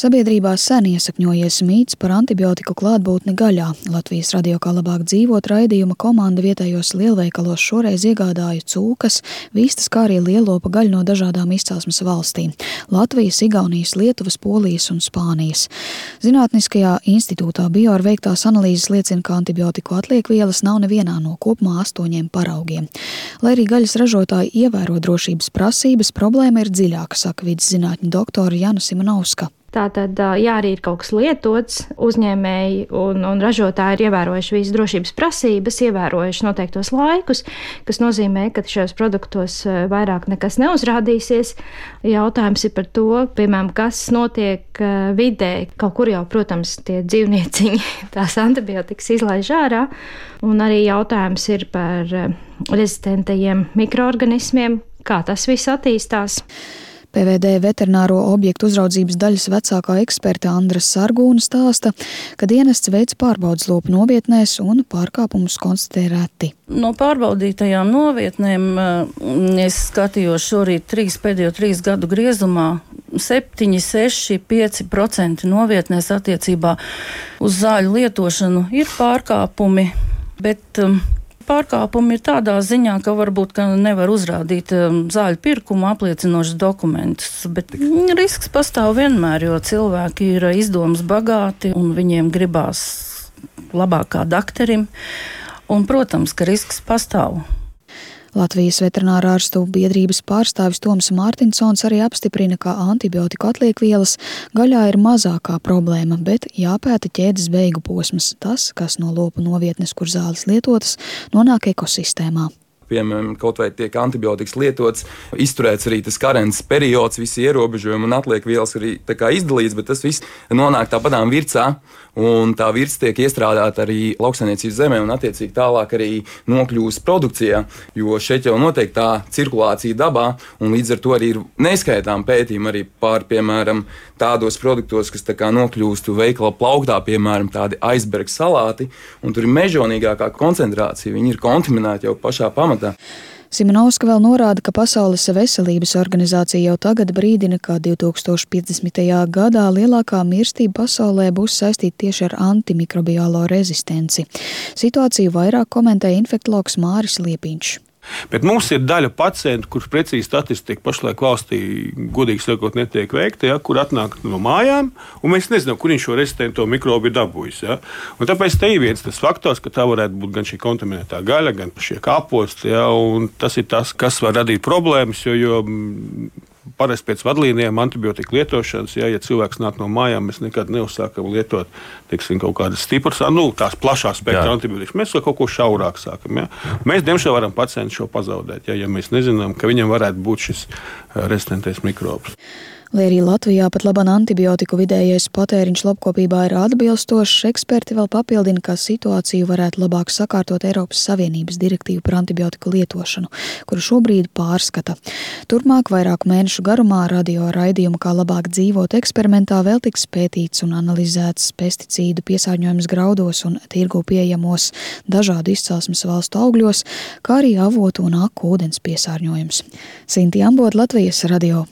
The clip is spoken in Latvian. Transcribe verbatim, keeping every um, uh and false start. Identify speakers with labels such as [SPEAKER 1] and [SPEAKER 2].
[SPEAKER 1] Sabiedrībā sen iesakņojies mīts par antibiotiku klātbūtni gaļā. Latvijas radio Kā labāk dzīvot raidījuma komanda vietējos lielveikalos šoreiz iegādāja cūkas, vistas, kā arī lielopa gaļu no dažādām izcelsmes valstīm – Latvijas, Igaunijas, Lietuvas, Polijas un Spānijas. Zinātniskajā institūtā Bior veiktās analīzes liecina, ka antibiotiku atliekvielas nav nevienā no kopumā astoņiem paraugiem. Lai arī gaļas ražotāji ievēro drošības prasības, problēma ir dziļāka, saka vides zinātņu doktore Jana Simonovska.
[SPEAKER 2] Tātad, ja arī ir kaut kas lietots, uzņēmēji un, un ražotāji ir ievērojuši visas drošības prasības, ievērojuši noteiktos laikus, kas nozīmē, ka šajos produktos vairāk nekas neuzrādīsies. Jautājums ir par to, piemēram, kas notiek vidē. Kaut kur jau, protams, tie dzīvnieciņi tās antibiotikas izlaiž ārā, un arī jautājums ir par rezistentajiem mikroorganismiem, kā tas viss attīstās.
[SPEAKER 1] P V D veterināro objektu uzraudzības daļas vecākā eksperte Andra Sargūna stāsta, ka dienests veic pārbaudes lopu novietnēs un pārkāpumus konstatē reti.
[SPEAKER 3] No pārbaudītajām novietnēm es skatījos šorīt trīs, pēdējo trīs gadu griezumā. septiņi, seši, pieci procenti novietnēs attiecībā uz zāļu lietošanu ir pārkāpumi, bet pārkāpumi ir tādā ziņā, ka varbūt ka nevar uzrādīt zāļu pirkumu apliecinošus dokumentus, bet risks pastāv vienmēr, jo cilvēki ir izdomas bagāti un viņiem gribās labāk kā dakterim, un, protams, ka risks pastāv.
[SPEAKER 1] Latvijas veterinārārstu biedrības pārstāvis Toms Mārtinsons arī apstiprina, ka antibiotiku atliekvielas gaļā ir mazākā problēma, bet jāpēta ķēdes beigu posms, tas, kas no lopu novietnes, kur zāles lietotas, nonāk ekosistēmā.
[SPEAKER 4] Piemēram, kaut vai tiek antibiotikas lietots, izturēts arī tas karences periods, visi ierobežojumi un atliekvielas arī tā kā izdalīts, bet tas viss nonāk tāpatām vircā, un tā virca tiek iestrādāta arī lauksaimniecības zemē un attiecīgi tālāk arī nokļūst produkcijā, jo šeit jau notiek tā cirkulācija dabā, un līdz ar to arī ir neskaitām pētījumi arī pār, piemēram, tādos produktos, kas tā kā nokļūst veikala plauktā, piemēram, tādi iceberg salāti, un tur ir mežonīgākā koncentrācija, viņi ir kontaminēti jau pašā pamatā.
[SPEAKER 1] Simonovska vēl norāda, ka Pasaules veselības organizācija jau tagad brīdina, ka divi tūkstoši piecdesmitajā gadā lielākā mirstība pasaulē būs saistīta tieši ar antimikrobiālo rezistenci. Situāciju vairāk komentē infektologs Māris Liepiņš.
[SPEAKER 5] Bet mums ir daļa pacientu, kurš precīzi statistika pašlaik valstī, godīgi sakot, netiek veikta, ja, kur atnāk no mājām, un mēs nezinām, kur viņš šo rezistento mikrobu ir dabūjis. Ja. Un tāpēc te ir viens tas faktors, ka tā varētu būt gan šī kontaminētā gaļa, gan šie kāposti, ja, un tas ir tas, kas var radīt problēmas, jo, jo parasti pēc vadlīnijām antibiotika lietošanas, ja, ja cilvēks nāk no mājām, mēs nekad neuzsākam lietot, teiksim, kaut kādas stipras, nu, tās plašās spektra antibiotikas. Mēs kaut ko šaurāk sākam. Ja. Mēs, diemžēl, varam pacientu šo pazaudēt, ja, ja mēs nezinām, ka viņam varētu būt šis rezistentais mikrobs.
[SPEAKER 1] Lai arī Latvijā pat laban antibiotiku vidējais patēriņš lopkopībā ir atbilstošs, eksperti vēl papildina, ka situāciju varētu labāk sakārtot Eiropas Savienības direktīvu par antibiotiku lietošanu, kuru šobrīd pārskata. Turpmāk vairāku mēnešu garumā radio raidījumu Kā labāk dzīvot eksperimentā vēl tiks pētīts un analizēts pesticīdu piesārņojums graudos un tirgū pieejamos dažādu izcelsmes valstu augļos, kā arī avotu un aku ūdens piesārņojums. Sinti Ambot, Latvijas radio.